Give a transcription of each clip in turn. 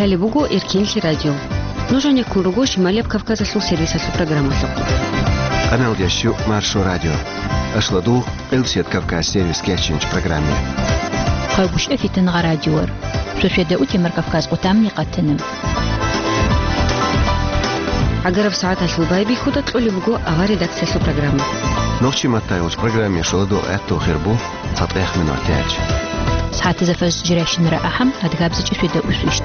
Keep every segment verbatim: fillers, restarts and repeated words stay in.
Лъалеб буго Эркенлъи радио. Нуж гьанеккун руго Шималияб Кавказалъул сервисалъул программалъухъ. Къаналда щу Маршо радио. Ашладу Къилсият Кавказ сервис кечинч программе. Къайгъуща фитнагъа радиор. Шошеда утемар Кавказ къутамни къатана. Агараб сагӀаталъул байбихьуда кьолеб буго ава редакциялъул программа. Нохчи матайулч программе шоладу гӀатту хирбу. ЦатӀехмин ватиач. Сагьатизафаз жирайщинара ахӀам, адгабзичӀи шведа усвищт.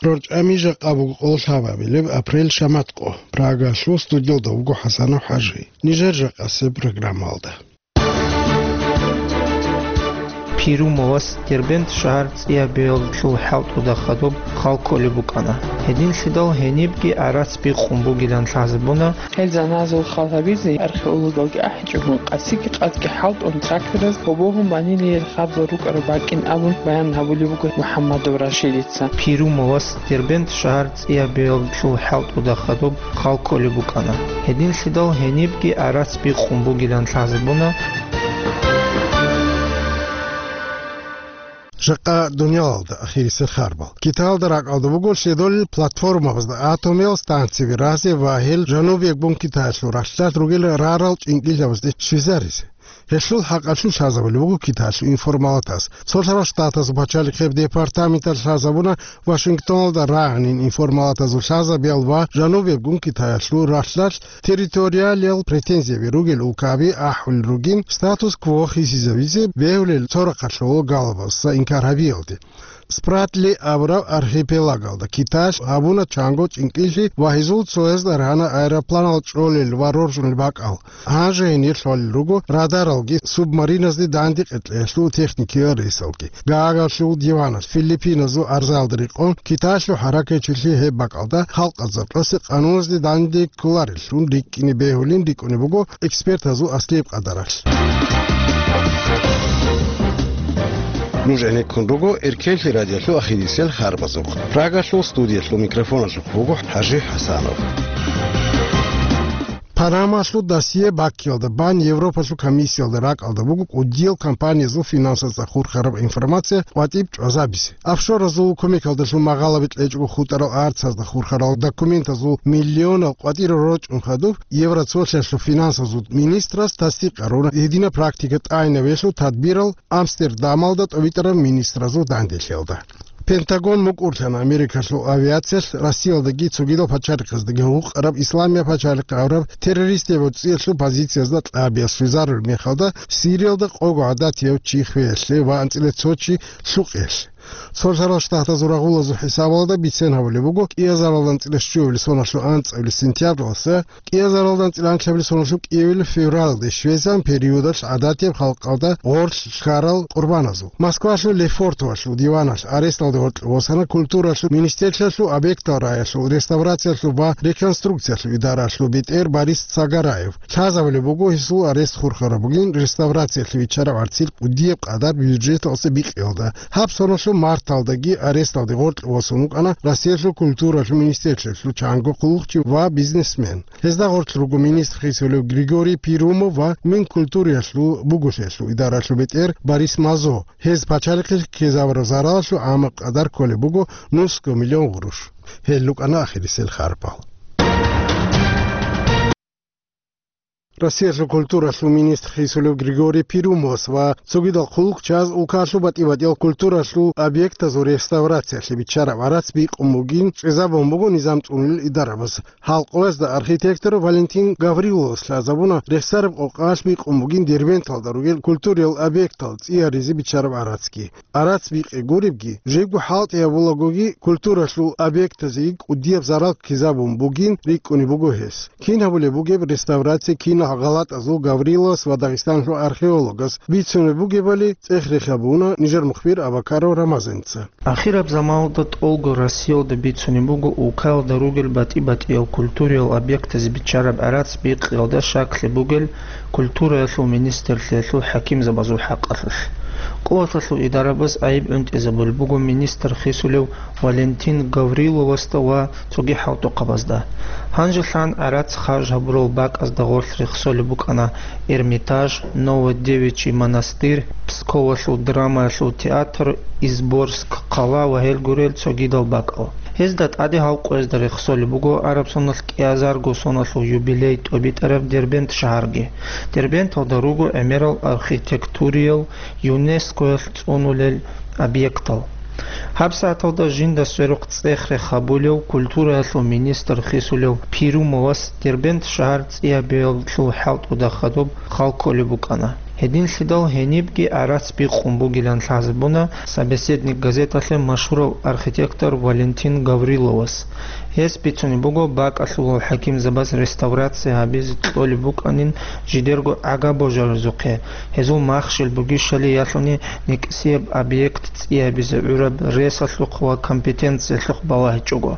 РорчӀами жакъа буго къоло лъабабилеб апрель шаматкъо. Прагалъул студиялда вуго ХӀасанов ХӀажи. Нижер жакъасеб программалда. Пирумовас Дербент шагьар цӀиябиялъул хӀалтӀуда хадуб хал кколеб букӀана. Гьединлъидал гьенибги гӀарац бикъун бугилан лъазабуна. Гьел заназул хал гьабизе археологалги ахӀичӀогун, къасиги къадги хӀалтӀун трактораз гьобогьун банилиел хабзал рукӀараб бакӀин абун баян гьабулеб буго МухӀаммадов Рашидица. Пирумовас Дербент шагьар цӀиябиялъул хӀалтӀуда хадуб хал кколеб букӀана. Гьединлъидал гьенибги гӀарац бикъун бугилан лъазабуна. Жакъа дуниялалда ахирисел харбал. Китаялда ракӀалда буго лъедолел платформабазда атомиял станциби разе ва гьел жанубияб гун Китаялъул ралъдалъ ругел рарал чӀинкӀиллъабазде щвезаризе. Гьелъул хӀакъалъулъ лъазабулеб буго Китаялъул информалатаз. Цолъарал Штатазул пачалихъеб департаменталъ лъазабуна Вашингтоналда рагӀанин информалатазул лъазабиял ва жанубияб гун Китаялъул ралъдалъ территориалиял претензияби ругел улкаби ахӀулел ругин статус-кво хисизавизе бегьулел цо рахъалъулъ галабазда инкар гьабиялде. Спратли абураб архипелагалда Китаялъ гьабуна чанго чӀинкӀиллъи ва гьезул цоязда рана аэропланал чӀолел ва роржунел бакӀал. Гьанже гьенир лъолел руго радаралги субмариназде данде къекълъиялъул техникиял рейсалги. Гаагарлъул диваналъ Филиппиназул арзаялда рекъон Китаялъул хӀаракатчилъи гьеб бакӀалда халкъазда къасе къануназде данде кколареллъун рикӀкӀине бегьулин рикӀкӀунеб буго экспертазул аслияб къадаралъ. Нуж гӀенеккун руго Эркенлъи радиолъул ахирисел харбазухъ. Прагалъул студиялъул микрофоналъухъ вуго ХӀажи ХӀасанов. Панамалъул досье баккиялда бан Европалъул комиссиялда ракӀалда буго кӀудиял компаниязул финансазда хурхараб информация къватӀиб чӀвазабизе. Офшоразул кумекалдалъун магъалаби кьечӀого хутӀарал арцазда хурхарал документазул миллионал къватӀирал рорчӀун хадуб, Евроцолъиялъул финансазул министрас тасдикъ гьаруна гьединаб практика тӀайнаб гьелъул тадбирал Амстердамалда тӀовитӀараб министразул данделъиялда. Пентагон мукӀурлъана Америкалъул авиациялъ Россиялдаги цогидал пачалихъаздаги гьукъараб Исламияб пачалихъ абураб террористияб гӀуцӀиялъул позициязда кьабиялъ щвезарулеб мехалда, Сириялда къого гӀадатияв чи хвеялъе ва анцӀила цо чи лъукъиялъе. Цолъарал Штатазул рагъулазул хӀисабалда бицен гьабулеб буго, кӀиазаралда анцӀила щуабилеб соналъул анцӀабилеб сентябралдаса кӀиазаралда анцӀила анлъабилеб соналъул кӀиабилеб февралалде щвезан периодалъ гӀадатияб халкъалда гъорлъ хьарал къурбаназул. Москвалъул Лефортовалъул диваналъ аресталде гъоркье восана культуралъул министрлъиялъул объектал рагӀиялъул реставрациялъул ва реконструкциялъул идаралъул бетӀер Борис Цагараев. Лъазабулеб буго, гьесул арест хурхараб бугин реставрациялъе биччараб гӀарцил кӀудияб къадар бюджеталъе бикъиялда. Гьаб соналъул марталдаги аресталде гъоркье восун вукӀана Россиялъул культуралъул министрлъиялъул чанго хъулухъчи ва бизнесмен. Гьезда гъорлъ руго министр хисулев Григорий Пирумов ва Минкультуриялъул буголъиялъул идаралъул бетӀер Борис Мазо. Гьез пачалихъе ккезабураб заралалъул гӀамаб къадар кколеб буго нусго миллион гъурущ. Гьел рукӀана ахирисел харпал. Россиялъул культуралъул министр хисулев Григорий Пирумовас ва цогидал хъулухъчияс улкалъул батӀи-батӀиял культуралъул объектазул реставрациялъе биччараб гӀарац бикъун бугин чӀезабун буго низам цӀунулел идарабаз. Гьалкъоязда архитектор Валентин Гавриловас лъазабуна рехсараб къокъаналъ бикъун бугин Дербенталда ругел культуриял объектал цӀияризе биччараб гӀарацги. Гьарац бикъи гуребги, жибго хӀалтӀи гьабулагоги, культуралъул объектазеги кӀудияб зарал ккезабун бугин рикӀкӀунеб буго гьес. Кин гьабулеб бугеб реставрация кинал гъалатӀазул Гавриловас ва Дагъистаналъул археологас бицунеб бугебали цӀех-рех гьабуна нижер мухбир Абакаров Рамазанца. Ахираб заманалда тӀолго Россиялда бицунеб буго улкаялда ругел батӀи-батӀиял культуриял объектазе биччараб гӀарац бикъиялда щаклъи бугел культураялъул министрлъиялъул хӀакимзабазул хӀакъалъулъ. Къуваталъул идарабаз гӀайиб гӀунтӀизабулеб буго министр хисулев Валентин Гавриловасда ва цоги хӀалтӀухъабазда. Гьанжелъан гӀарац харж гьабурал бакӀазда гъорлъ рехсолеб букӀана Эрмитаж, Новодевичий монастырь, Псковалъул драмаялъул театр, Изборск хъала ва гьел гурел цогидал бакӀал. Гьезда тӀаде гьав къоязда рехсолеб буго араб соналъ кӀиазарго соналъул юбилей тӀобитӀараб Дербент шагьарги. Дербенталда руго гӀемерал архитектуриял ЮНЕСКОялъ цӀунулел объектал. ГьабсагӀаталда жинда сверухъ цӀех-рех гьабулев культураялъул министр хисулев Пирумовас Дербент шагьар цӀиябиялъул хӀалтӀуда хадуб хал кколеб букӀана. Гьединлъидал гьенибги гӀарац бикъун бугилан лъазабуна «Собеседник» газеталъе машгьурав архитектор Валентин Гавриловас. Гьес бицунеб буго, бакӀалъулал хӀакимзабаз реставрация гьабизе кьолеб букӀанин жидерго гӀага-божаризухъе, гьезул махщел бугищали ялъуни никӀсияб объект цӀиябизе гӀураб ресалъухъ ва компетенциялъухъ балагьичӀого.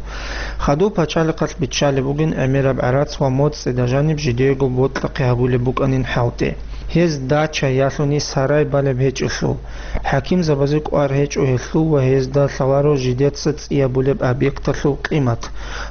Хадуб пачалихъалъ биччалеб бугин гӀемераб гӀарац ва моцӀида жаниб жидеего бокьахъе гьабулеб букӀанин хӀалтӀи. Гьез дача ялъуни сарай балеб гьечӀелъул, хӀакимзабазе кӀвар гьечӀо гьелъул ва гьезда лъаларо жидеца цӀиябулеб объекталъул къимат.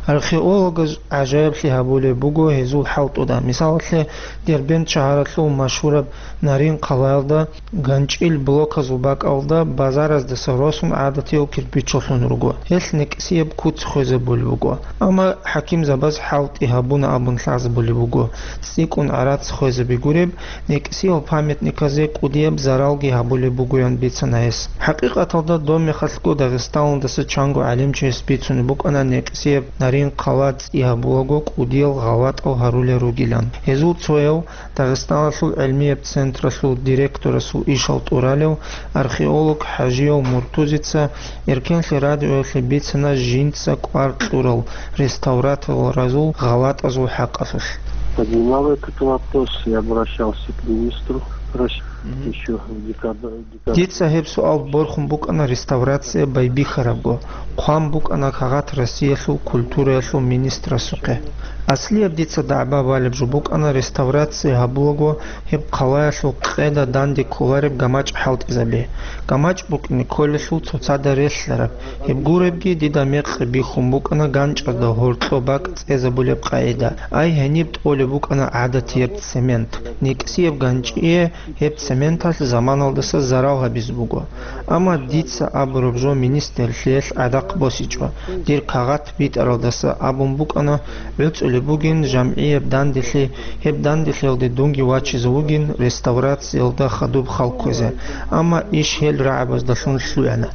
Археологаз гӀажаиблъи гьабулеб буго гьезул хӀалтӀуда. Мисалалъе, Дербент шагьаралъул машгьураб Нарин хъалаялда ганчӀил блоказул бакӀалда базараздаса росун гӀадатияв кирпичалъун руго. Гьелъ никӀсияб куц хвезабулеб буго. Амма хӀакимзабаз хӀалтӀи гьабуна абун лъазабулеб буго, цӀикӀкӀун гӀарац хвезаби гуреб, никӀсиял памятниказе кӀудияб заралги гьабулеб бугоян бицана гьес. ХӀакъикъаталда доб мехалъго Дагъистаналдаса чанго гӀалимчияс бицунеб букӀана никӀсияб Нарин хъала цӀи гьабулаго кӀудиял гъалатӀал гьарулел ругилан. Гьезул цояв Дагъистаналъул гӀилмияб централъул директорасул ишал тӀуралев археолог ХӀажияв Муртузица Эркенлъи радиоялъе бицана жинца кӀвар кьурал реставраторазул гъалатӀазул хӀакъалъулъ. Поднимал этот вопрос и обращался к министру России Мгм. Еще в декабре. Дица гьеб суал борхун букӀана реставрация байбихьарабго, хъван букӀана кагъат Россиялъул культураялъул министрасухъе. Аслияб дица дагӀба балеб жо букӀана реставрация гьабулаго гьеб хъалаялъул къеда данде кколареб гамачӀ хӀалтӀизаби. ГамачӀ букӀине кколелъул цоцазда релълъараб. Гьеб гуребги дида мекъи бихьун букӀана ганчӀазда гьоркьоб бакӀ цӀезабулеб къагӀида. Ай гьениб тӀолеб букӀана гӀадатияб цемент. НекӀсияб ганчӀие гьеб цементалъ заманалдаса зарал гьабизе буго. Амма дица абураб жо министрлъиялъ гӀадахъ босичӀо, дир кагъат битӀаралдаса абун букӀана, гӀуцӀулеб бугин жамгӀияб данделъи, гьеб данделъиялде дунги вачизе вугин реставрациялда хадуб хал кквезе, амма иш гьел рагӀабаздалъун лъугӀана.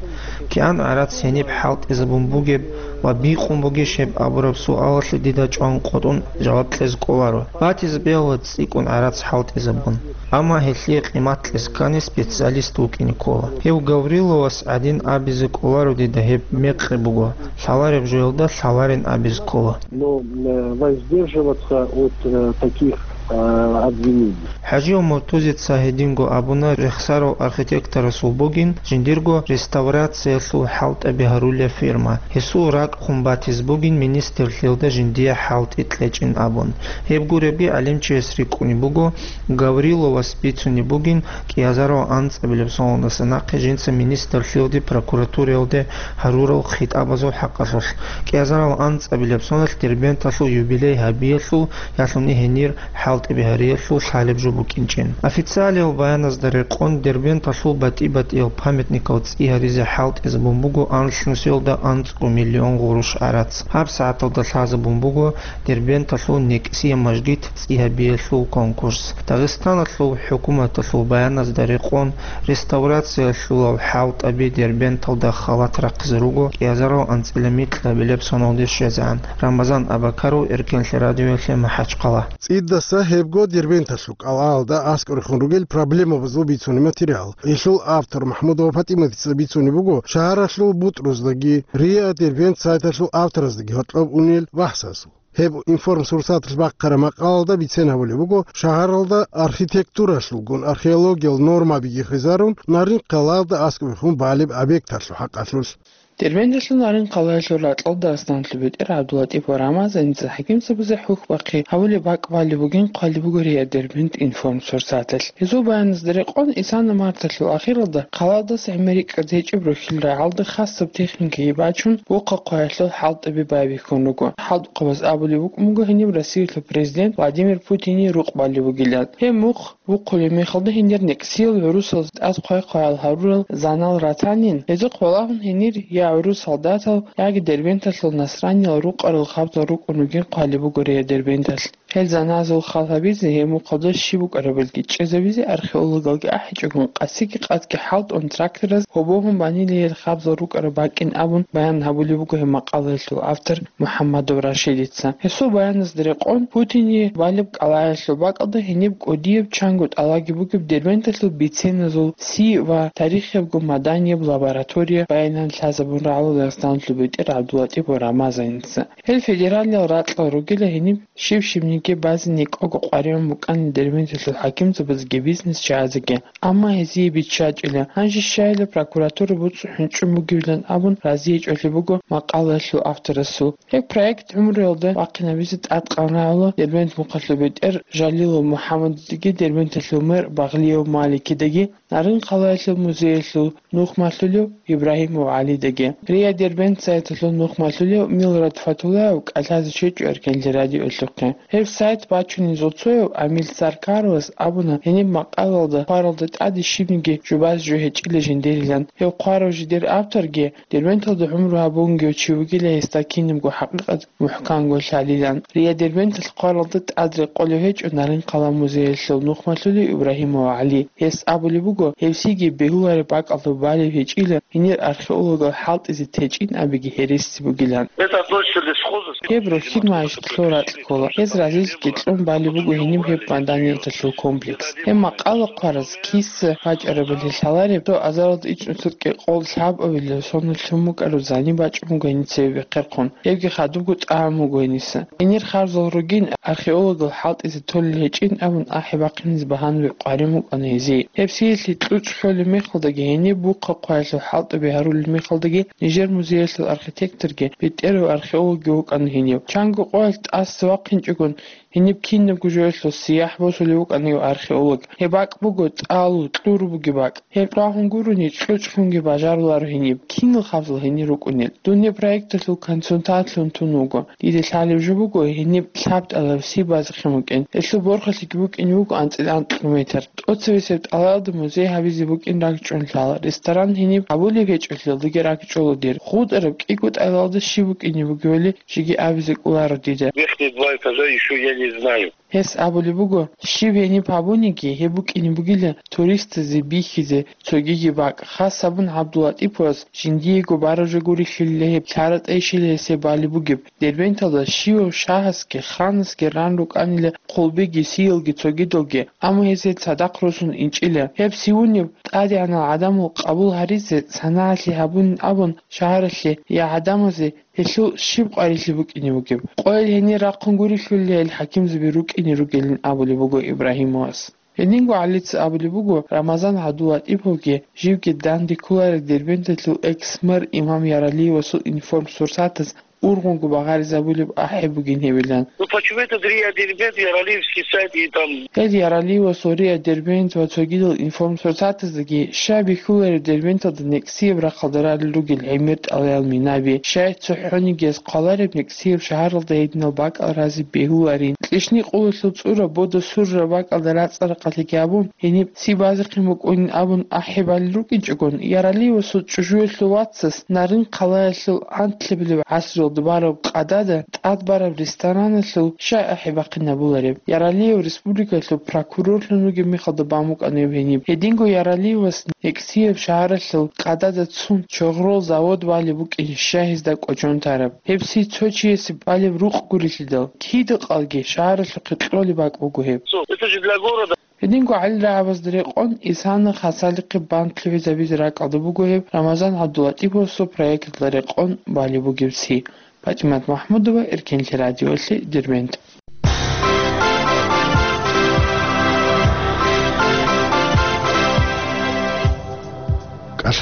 КигӀан гӀарац гьениб хӀалтӀизабун бугеб ва бикъун бугищ гьеб абураб суалалъе дида чӀван къотӀун жаваб кьезе кӀоларо. Батизе бегьула цӀикӀкӀун гӀарац хӀалтӀизабун. Амма гьелъие къимат кьезе ккани специалист вукӀине ккола. Гьев Гавриловас гӀадин абизе кӀоларо дида гьеб мекъи буго, лъалареб жоялда лъаларин абизе ккола. Но, э, воздерживаться от, э, таких, э, обвинений. ХӀажияв Муртузица гьединго абуна рехсарав архитекторасул бугин жиндирго реставрациялъул хӀалтӀаби гьарулеб фирма. Гьесул ракӀ хун батизе бугин министрлъиялда жиндие хӀалтӀи кьечӀин абун. Гьеб гуребги гӀалимчияс рикӀкӀунеб буго, Гавриловас бицунеб бугин кӀиазарал анцӀабилеб соналдаса нахъе жинца министрлъиялде, прокуратураялде гьарурал хитӀабазул хӀакъалъулъ. КӀиазарал анцӀабилеб соналъ Дербенталъул юбилей гьабиялъул ялъуни гьенир хӀалтӀи бигьариялъул лъалеб жо букӀинчӀин. Официалиял баяназда рекъон, Дербенталъул батӀи-батӀиял памятникал цӀи гьаризе хӀалтӀизабун буго анлънусиялда анцӀго миллион гъурущ гӀарац. ГьабсагӀаталда лъазабун буго Дербенталъул некӀсияб мажгит цӀи гьабиялъул конкурс. Дагъистаналъул хӀукуматалъул баяназда рекъон, реставрациялъулал хӀалтӀаби Дербенталда халат рахъизе руго кӀиазарал анцӀила микьабилеб соналде щвезегӀан. Рамазан Абакаров, Эркенлъи радиоялъе, МахӀачхъала. ЦӀидаса гьебго Дербенталъул кӀалалда аскӀорехун ругел проблемабазул бицунеб материал. Гьелъул автор МахӀмудова ПатӀиматица бицунеб буго шагьаралъул бутӀруздаги, РИА Дербент сайталъул автораздаги гьоркьоб унел бахӀсасул. Гьеб информсурсаталъ бахъараб макъалалда бицен гьабулеб буго шагьаралда архитектуралъулгун археологиял нормабиги хвезарун, Нарин хъалаялда аскӀобехун балеб объекталъул хӀакъалъулъ. Дербенталъул Нарын хъалаялъул ракьалда Дагъистаналъул бетӀер ГӀабдуллатӀипов Рамазаница хӀакимзабазе хӀухь бахъи гьабулеб бакӀ балеб бугин хъвалеб буго РИА Дербент информ сурсаталъ. Гьезул баяназда рекъон, исана марталъул ахиралда хъалаялдаса гӀемер рикӀкӀад гьечӀеб рохьил рагӀалда хасаб техникаги бачун, вухъа хъваялъул хӀалтӀаби байбихьун руго. ХӀалтӀухъабаз абулеб букӀун буго гьениб Россиялъул президент Владимир Путине рукъ балеб бугилан. Гьеб мухъ вухъулеб мехалда гьенир некӀсиял гӀурусаз тӀад хъвай-хъваял гьарурал занал ратанин, гьезухъ балагьун гьенир я гӀурус солдатал, яги Дербенталъул насраниял рукъарал хабзал рукӀун ругин хъвалеб буго РИА Дербенталъ. Гьел заназул хал гьабизе, гьеб мухъалда щиб букӀарабилги чӀезабизе археологалги ахӀичӀогун, къасиги къадги хӀалтӀун трактораз гьобогьун банилейил хабзал рукӀараб бакӀин абун баян гьабулеб буго гьеб макъалаялъул автор МухӀаммадов Рашидица. Гьесул баяназда рекъон, Путине балеб кӀалаялъул бакӀалда гьениб кӀудияб чанго тӀалаги бугеб Дербенталъул биценазул си ва тарихиябго маданияб лаборатория баянан лъазабун рагӀула Дагъистаналъул бетӀер ГӀабдуллатӀипов Рамазаница. Гьел федералиял ракьал ругила гьениб щиб-щибниги базе некӀого къваригӀун букӀана Дербенталъул хӀакимзабазеги бизнесчагӀазеги. Амма гьезие биччачӀила, гьанже щайила прокуратура буцӀцӀу хӀунчӀун бугевилан абун разиячӀулеб буго макъалаялъул авторасул. Гьеб проект гӀумруялда вахъинабизе тӀадкъан рагӀула Дербент мухъалъул бетӀер Жалилов МухӀаммадидаги Дербенталъул мэр Багълиев Маликидаги, Нарын хъалаялъул музеялъул нухмалъулев Ибрагьимов ГӀалидаги. РИА Дербент сайталъул нухмалъулев Милрат Фатулаев кӀалъазе щвечӀо Эркенлъи радиолъухъе. Гьеб сайт бачунезул цояв Амил Саркаровас абуна, гьениб макъалалда хъваралда тӀаде щибниги жубаз жо гьечӀила жиндирилан. Гьев хъварав жидер авторги Дербенталда гӀумру гьабунгев чи вугила гьесда кинабго хӀакъикъат мухӀканго лъалилан. РИА Дербенталъ хъваралда тӀад рекъолев гьечӀо Нарын хъала музеялъул нухмалъулев Ибрагьимов ГӀали. Гьес абулеб буго, гьевсиги бегьулареб бакӀалда балеб гьечӀила гьенир археологал хӀалтӀизе течӀин абиги гьереси бугилан. Это относится к лесхозу. Гьеб рохьил магӀишатлъул ракь ккола. Гьез разилъги кьун балеб буго гьениб гьеб маданияталъул комплекс. Гьеб макъала хъвараз киса вачӀарабали лъалареб, цо азаралда ичӀнусуркьи къол лъабабилеб соналъ лъун букӀараб зани бачӀун буго гьениса цебе бехъерхъун. Гьебги хадубго тӀагӀун буго гьениса. Гьенир харзал ругин, археологал хӀалтӀизе толел гьечӀин абун ахӀи бахъинизе багьанаби къварин букӀана гьезие. Гьеб сиялъе кьучӀ лъолеб мехалдаги, гьениб бухъа хъваялъул хӀалтӀаби гьарулеб мехалдаги, нижер музеялъул архитекторги, бетӀерав археологги вукӀана гьенив. Чанго къоялъ тӀаса вахъинчӀогон, гьениб кинабго жоялъул сияхӀ босулев вукӀана гьев археолог. Гьеб бакӀ буго тӀалу, кьуру бугеб бакӀ. Гьеб рагьун гурони, кьучӀ лъунги бажаруларо гьениб, кинал хабзал гьенир рукӀунел. Дун гьеб проекталъул консультантлъун тун вуго. Дида лъалеб жо буго, гьениб лъабтӀалаб си базехъин букӀин. Гьелъул борхалъиги букӀин буго анцӀила анкьго метр. ТӀоцебесеб тӀалаялда музей гьабизе букӀин ракӀчӀун лъала. Ресторан гьениб гьабулеб гьечӀолъиялдаги ракӀчӀола дир. ГъутӀараб кӀиго тӀалаялда щиб букӀине бугевали жеги абизе кӀоларо дида. Верхние два этажа ещё я не знаю. Гьес абулеб буго, щиб гьениб гьабуниги, гьеб букӀине бугила туристазе бихьизе цогиги бакӀ. Хас гьабун ГӀабдуллатӀиповас жиндиего бараб жо гурелъулила гьеб, лъара-тӀайищила гьесие балеб бугеб. Дербенталда щивав шагьасги, ханасги ран рукӀанила хъулбиги, сиялги, цогидалги, амма гьезие цадахъ росун инчӀила. Гьеб сивунеб тӀадегӀанал гӀадамал къабул гьаризе санагӀалъи гьабунин абун шагьаралъе я гӀадамазе гьелъул щиб къварилъи букӀине бугеб? Къойил гьенир рахъун гурелъулила гьел хӀакимзаби рукӀине ругелин абулеб буго Ибрагьимовас. Гьединго ГӀалица абулеб буго, Рамазан ГӀабдуллатӀиповги живги данде кколареб Дербенталъул экс-мэр Имам Яралиевасул информсурсатаз ургъунго багъаризабулеб ахӀи бугин гьебилан. Ну почему этот РИА Дербент, Яралиевский сайт и там? Гьел Яралиевасул РИА Дербент ва цогидал информсурсатаздаги щай бихьулареб Дербенталда некӀсияб рахъалда ралел ругел гӀемер тӀалаял минаби, щай цохӀонигияс хъвалареб некӀсияб шагьаралда гьединал бакӀал разе бегьуларин. Кьищникъулалъул цӀураб бода сурраб бакӀалда рацӀцӀа-рахъалъиги гьабун, гьениб си базехъин букӀунин абун ахӀи балел рукӀинчӀогон, Яралиевасул чӀужуялъул вацас Нарын хъалаялъул анлъабилеб гӀасралда бараб къадада тӀад бараб рестораналъул щай ахӀи бахъинабулареб? Яралиев республикалъул прокурорлъун вугеб мехалда бан букӀана гьеб гьениб. Гьединго Яралиевас некӀсияб шагьаралъул къадада цун чогърол завод балеб букӀин щай гьезда кӀочон тараб? Гьеб си цо чиясе балеб рукъ гурелъидал, кида-къалги шагьаралъухъе кьолеб бакӀ буго гьеб. Что, это же для города. Гьединго гӀалил рагӀабазда рекъон, исана хасалихъе бан лъугӀизабизе ракӀалда буго гьеб Рамазан ГӀабдуллатӀиповасул проекталда рекъон балеб бугеб си. ПатӀимат МахӀмудова, Эркенлъи радиолъи, Дербент.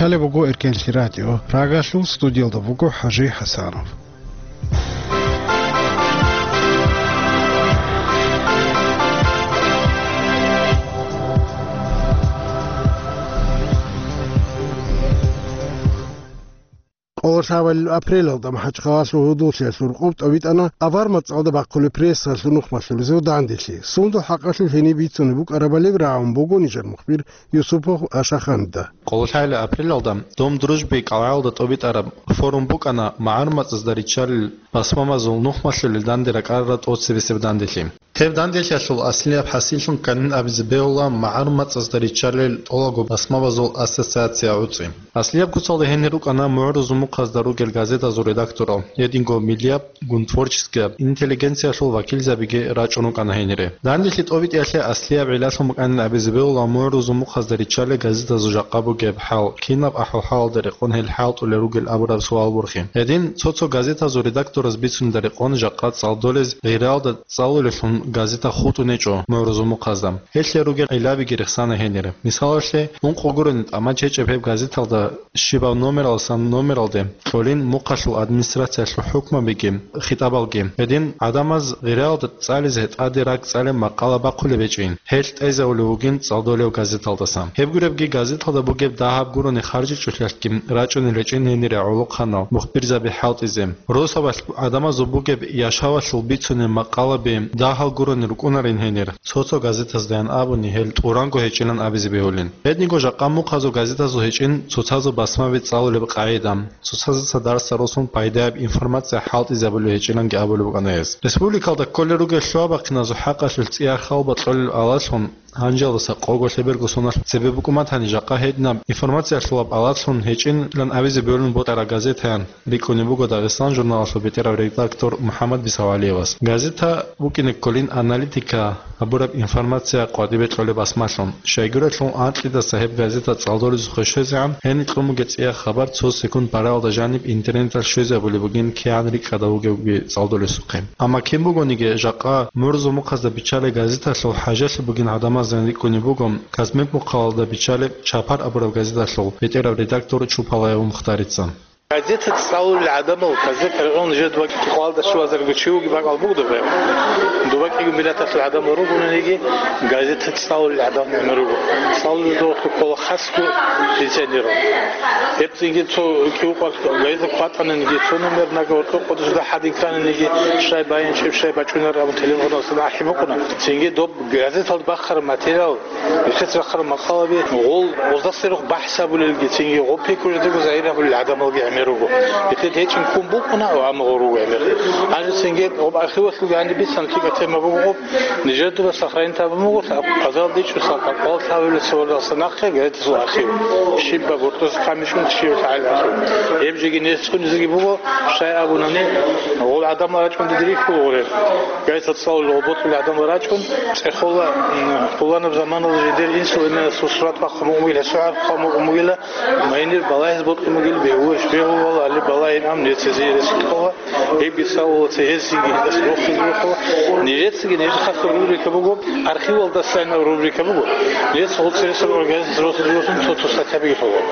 Гьале буго Эркенлъи радио. Рагалъул студиялда буго ХӀажи ХӀасанов. Къоло лъабалел апрелалда МахӀачхъалалъул гьудуллъиялъул рукъоб тӀобитӀана авар мацӀалда бахъулеб прессалъул нухмалъулезул данделъи. Сундул хӀакъалъулъ гьениб бицунеб букӀарабали рагӀун буго нижер мухбир Юсупов Ашаханидда. Къоло лъабалел апрелалда Дом дружбы кӀалгӀалда тӀобитӀараб форум букӀана магӀарул мацӀазда риччалел басмабазул нухмалъулел данде ракӀарарал тӀоцебесеб данделъи. Гьеб данделъиялъул аслияб хӀасиллъун кканин абизе бегьула магӀарул мацӀазда риччалел тӀолабго басмабазул ассоциация гӀуцӀи. Аслияб куцалда гьенир рукӀана мугӀрузул мухъазда ругел газетазул редакторал, гьединго миллияб, гун творческияб интеллигенциялъул вакилзабиги рачӀун рукӀана гьенире. Данделъи тӀобитӀиялъе аслияб гӀиллалъун букӀанин абизе бегьула мугӀрузул мухъазда риччалел газетазул жакъа бугеб хӀал, кинаб ахӀвал-хӀалалда рекъон гьел хӀалтӀулел ругел абураб суал борхи. Гьедин, цо-цо газетазул редактораз бицунебда рекъон жакъа цӀалдолез гъиралда цӀалулеллъун газета хутӀун гьечӀо мугӀрузул мухъазда. Гьелъие ругел гӀиллабиги рехсана гьенире. Мисалалъе, ункъо гурони тӀамач гьечӀеб гьеб газеталда щибаб номералдасан номералде кьолин мухъалъул администрациялъул хӀукмабиги хитӀабалги. Гьедин гӀадамаз гъиралда цӀализе тӀаде ракӀ цӀалеб макъала бахъулеб гьечӀин. Гьел тӀезавулев вугин цӀалдолев газеталдасан. Гьеб гуребги газеталда бугеб дагьаб гурони харжичӀолъиялъги рачӀунел гьечӀин гьенире гӀолохъанал мухбирзаби хӀалтӀизе. Росабалъ гӀадамазул бугеб яшавалъул бицунеб макъалаби дагьал гурони рукӀунарин гьенир. Цо-цо газетаздаян абуни гьел тӀуранго гьечӀилан абизе бегьулин. Гьединго жакъа мухъазул газетазул гьечӀин цоцазул басмаби цӀалулеб къагӀида, цоцазда цо дарсда росун пайдаяб информация хӀалтӀизабулеб гьечӀиланги абулеб букӀана гьес. Республикалда кколел ругел лъугьа-бахъиназул хӀакъалъулъ цӀияр хал бакьулел алалъун, гьанжалдаса къого лъеберго соналъ цебе букӀун батани, жакъа гьединаб информация лъолаб алалъун гьечӀилан абизе бегьулин бокьараб газетаян рикӀкӀунеб буго Дагъистан журналалъул бетӀерав редактор МухӀаммад Бисавалиевас. Газета букӀине кколин аналитика гьабураб информация къватӀибе кьолеб басмалъун. Щайгурелъул анкьидаса гьеб газета цӀалдолезухъе щвезегӀан, гьениб кьун бугеб цӀияб хабар цо секунд бараялда жаниб интернеталъ щвезабулеб бугин кигӀан рикӀкӀадав вугевги цӀалдолесухъе. Амма кин бугониги, жакъа мугӀрузул мухъазда биччалеб газеталъул хӀажалъи бугин гӀадамаздаян рикӀкӀунеб буго Казмек мухъалалда биччалеб Чапар абураб газеталъул бетӀерав редактор Чупалаев Мухтарица. Газета цӀалулел гӀадамал, газета регӀун жер дуба кӀикъоялда щуазарго чи вугеб бакӀал буго доб. Дуба кӀиго миллаталъул гӀадамал ругониги, газета цӀалулел гӀадамал гӀемер руго. ЦӀалулел духъе ккола хасго пенсионерал. Гьеб цинги цо кӀиго къварх газета хъватӀаниги, цо номер нагагь къо-, къодузда хӀадин кканиги, щай байин, щиб щай бачӀунар абун телефоналъ ахӀи букӀуна. Цинги доб газеталда бахъараб материал, Нилъеца рахъараб макъалаби гъол гъоздаса рухъ бахӀс гьабулелги, цинги гъоб пикру жидего загьир гьабулел гӀадамалги гӀемер руго. Нилъеда гьечӀин ккун букӀуна, амма гъол руго гӀемер. Гьанже цинги гъоб архивалъулги гьаниб бицана лъикӀаб тема буго гъоб, нижер дуба сохранить гьабун буго, базаралда ичӀоса къвалъ гьавулел цевардаса нахъе газетазул архив. Щибаб гьоркьоса камичӀун щиб лъагӀел архив. Гьеб жеги несцунизеги буго, щай абунани, гъол гӀадамал рачӀун диде рихьул гъуреб. Газета цӀалулел гъоб бокьулел гӀадамал рачӀун, цӀехола, м, пуланаб заманалда жидер инсул-эменасул сурат бахъун бугила, гьесул хӀарп хъван бугила, майнир балагьиз бокьун бугила, бегьуш бегьувала, али балагьин ам нецезе ресулъула, гьебги цӀалула цо гьезиги гьедас рохизе рухъула. Нижецаги нижер хасго рубрика буго, архивалдасайин рубрика буго. Нижеца гъоцӀи ресурс организация росулел росун цо-цо статьябиги лъугьула.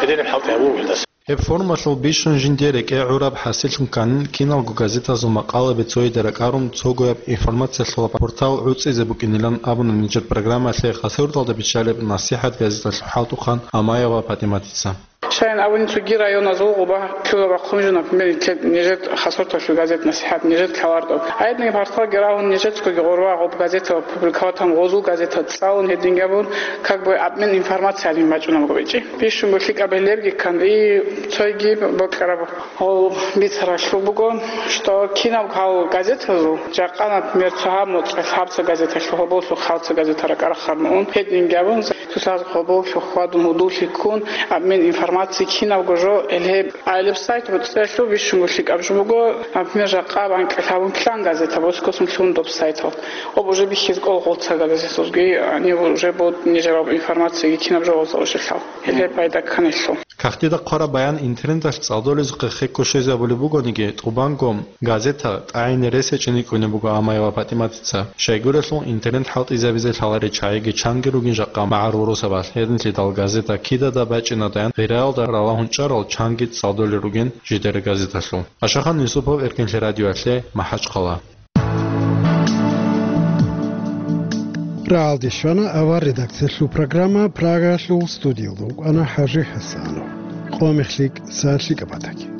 Гьединаб хӀалтӀи гьабула гьелдаса. Гьеб форумалъул бищун жинде рекӀе гӀураб хӀасиллъун кканин, киналго газетазул макъалаби цояде ракӀарун, цогояб информациялъулаб портал гӀуцӀизе букӀинилан абуна нижер программаялъе Хасавюрталда биччалеб НасихӀат газеталъул хӀалтӀухъан Амаева ПатӀиматица. Щайин абуни, цоги районазул гъоба лъугьа-бахъун жо, например, нилъер, нижер Хасавюрталъул газет НасихӀат, нижер ккаларго. Гьединги порталги рагьун нижецаго гъоркьа гъоб газетал публиковатан гъозул газетал цӀалун гьединги абун, как бы обмен информациялин бачӀунаб гъобичи. Бищунго лъикӀаб гьелебги ккан, и цойги бокьараб гъол бицаралъул буго, что кинаб гьал газетазул, жакъа, например, цо гьаб моцӀалъ гьабца газеталъул гьоболлъухъ гьабца газета ракӀарахъарун ун, гьединги абун, цоцаз гьоболлъухъ хьвадун гьудуллъи ккун, обмен информацией кинабго жо, гьеле гьеб гӀайилаб сайт буцӀцӀиялъул бищунго лъикӀаб жо буго, например, жакъа банкӀалъ гьабун килан газета, боскосун лъун доб сайтал. Гъоб уже бихьиз кӀол гъолца газетазулги, они уже бод нижераб информацияги кинаб жо гъолца уже лъал. Гьеле пайда кканилъул. Кагътида хъвараб баян интернеталъ цӀалдолезухъе хекко щвезабулеб бугониги, тӀубанго газета тӀагӀине рес гьечӀин рикӀкӀунеб буго Амаева ПатӀиматица. Щайгурелъул интернет хӀалтӀизабизе лъаларел чагӀиги чанги ругин жакъа магӀарул росабалъ, гьединлъидал газета кидада бачӀинадаян гъирал ралагьун чӀарал чанги цӀалдолел ругин жидер газеталъул. Ашахан Юсупов, Эркинлъи радиоялъе, МахӀачхъала. Рагьалде щвана авар редакциялъул программа. Прагаялъул студиялда вукӀана ХӀажи ХӀасанов. Къо мехлъи кӀса лъикӀаб батаги.